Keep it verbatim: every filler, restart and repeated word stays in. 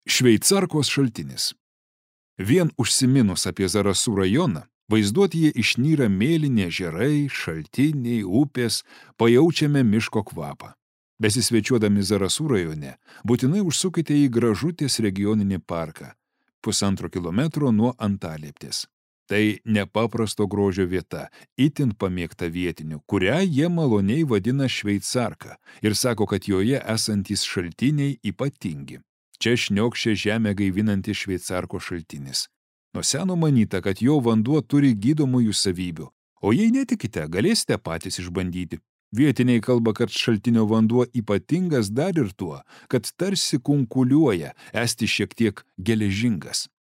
Šveicarkos šaltinis. Vien užsiminus apie Zarasų rajoną, vaizduotėje išnyra mėlyni ežerai, šaltiniai, upės, pajaučiame miško kvapą. Besisvečiuodami Zarasų rajone, būtinai užsukite į Gražutės regioninį parką, pusantro kilometro nuo Antalieptės. Tai nepaprasto grožio vieta, itin pamėgta vietinių, kurią jie maloniai vadina Šveicarka ir sako, kad joje esantys šaltiniai ypatingi. Čia šniokščia žemę gaivinanti Šveicarko šaltinis. Nuo seno manyta, kad jo vanduo turi gydomųjų savybių, o jei netikite, galėsite patys išbandyti. Vietiniai kalba, kad šaltinio vanduo ypatingas dar ir tuo, kad tarsi kunkuliuoja, esti šiek tiek geležingas.